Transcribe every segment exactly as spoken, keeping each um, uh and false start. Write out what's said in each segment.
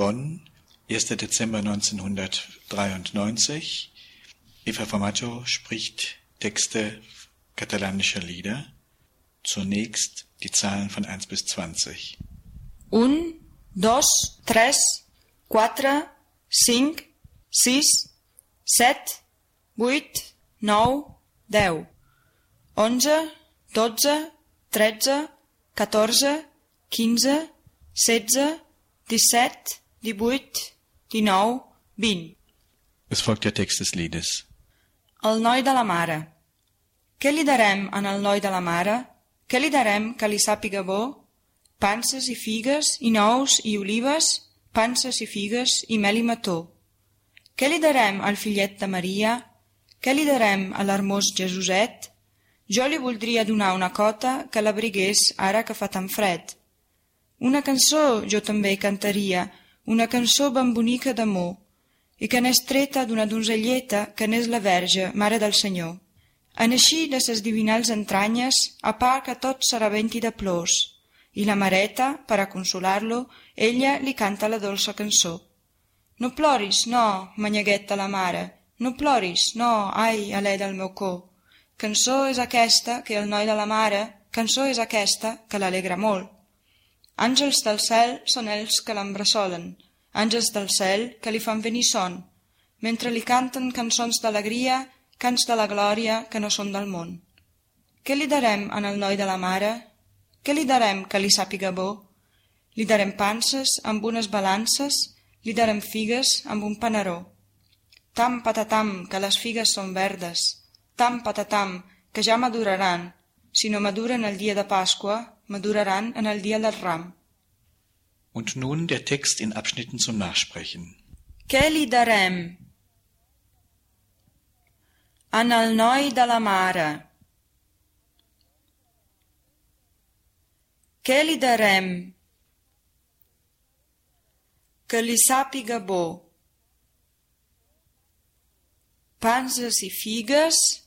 Bonn, erster Dezember neunzehnhundertdreiundneunzig. Eva Formaggio spricht Texte katalanischer Lieder. Zunächst die Zahlen von eins bis zwanzig. Un, dos, tres, quatre, cinc, sis, set, vuit, nou, deu, onze, dotze, tretze, catorze, quinze, setze, disset, divuit, dinou, vint. Es folgt der Text des Liedes. El noi de la mare. Què li darem en el noi de la mare? Què li darem que li sàpiga bo? Panses i figues, i nous i olives, panses i figues, i mel i mató. Què li darem al fillet de Maria? Què li darem a l'hermós Jesuset? Jo li voldria donar una cota que l'abrigués ara que fa tan fred. Una cançó jo també cantaria, una cançó ben bonica d'amor, i que n'és treta d'una donzelleta que n'és la Verge, Mare del Senyor. En així de ses divinals entranyes, a part que tot serà venti de plors, i la mareta, per a consolar-lo, ella li canta la dolça cançó. No ploris, no, manyaguet de la mare, no ploris, no, ai, alè del meu cor. Cançó és aquesta que el noi de la mare, cançó és aquesta que l'alegra molt. Àngels del cel són ells que l'embrassolen, àngels del cel que li fan venir son, mentre li canten cançons d'alegria, cants de la glòria que no són del món. Què li darem en el noi de la mare? Què li darem que li sàpiga bo? Li darem panses amb unes balances, li darem figues amb un panaró. Tam patatam, que les figues són verdes, tam patatam, que ja maduraran, si no maduren el dia de Pasqua, maduraran en el dia del Ram. Und nun der Text in Abschnitten zum Nachsprechen. Què li darem en el noi de la mare? Què li darem que li sàpiga bo? Panses i figues,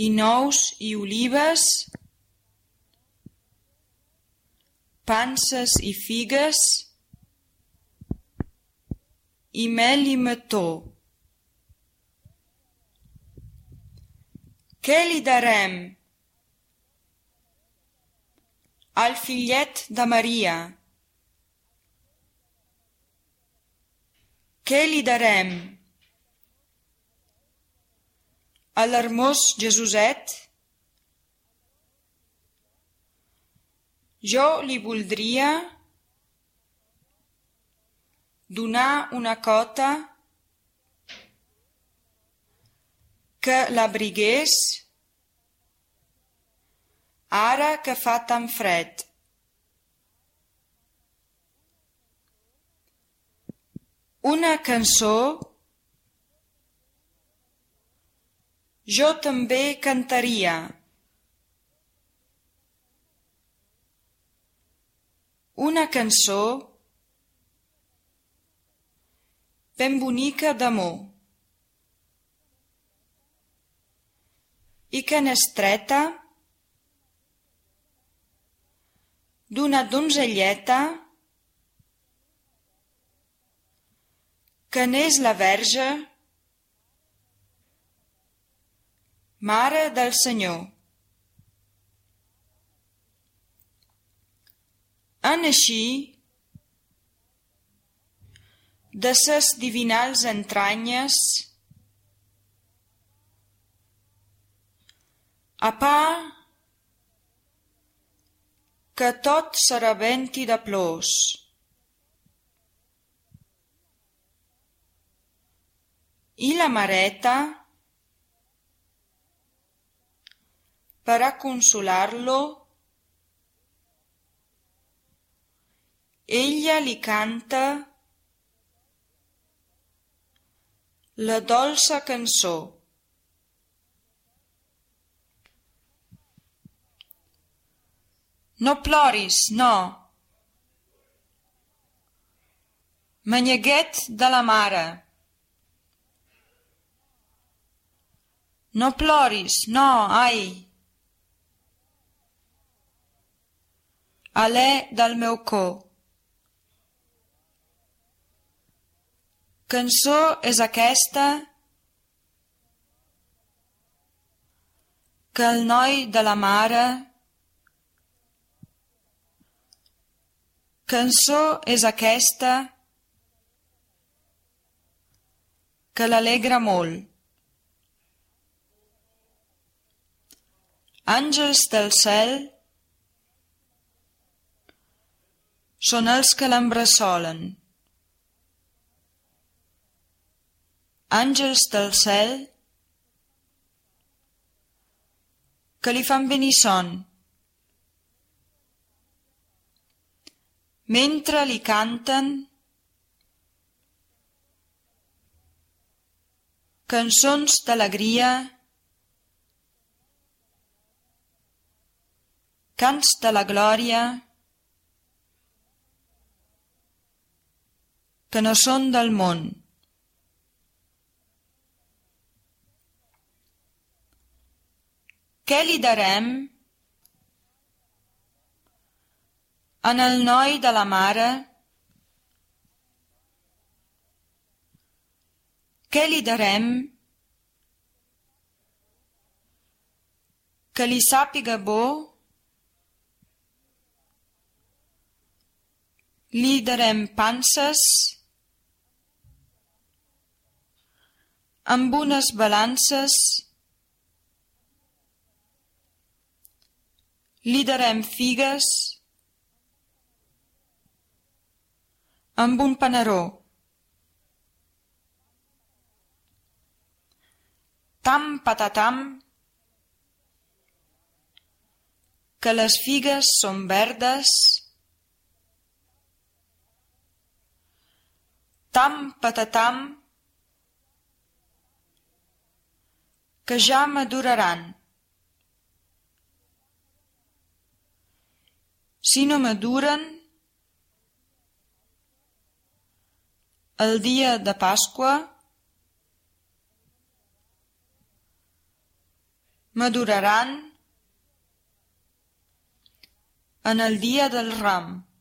i nous i olives, panses i figues, i mel i mató. Què li darem al fillet de Maria? Què li darem a l'hermós Jesuset? Jo li voldria donar una cota que l'abrigués ara que fa tan fred. Una cançó jo també cantaria. Una cançó ben bonica d'amor i que n'és treta d'una donzelleta que n'és la Verge, Mare del Senyor. En així, de ses divinals entranyes, a part que tot serà venti de plors, i la mareta, per a consolar-lo, ella li canta la dolça cançó. No ploris, no. Manyaguet de la mare. No ploris, no, ai. Alè del meu cor. cançó és aquesta que el noi de la mare, cançó és aquesta que l'alegra molt. Àngels del cel són els que l'embressolen. Àngels del cel que li fan venir son. Mentre li canten cançons d'alegria, cants de la glòria, que no són del món. Què li darem en el noi de la mare? Què li darem que li sàpiga bo? Li darem panses amb unes balances, li darem figues amb un panaró. Tam patatam, que les figues són verdes. Tam patatam, que ja maduraran. Si no maduren, el dia de Pasqua maduraran en el dia del Ram.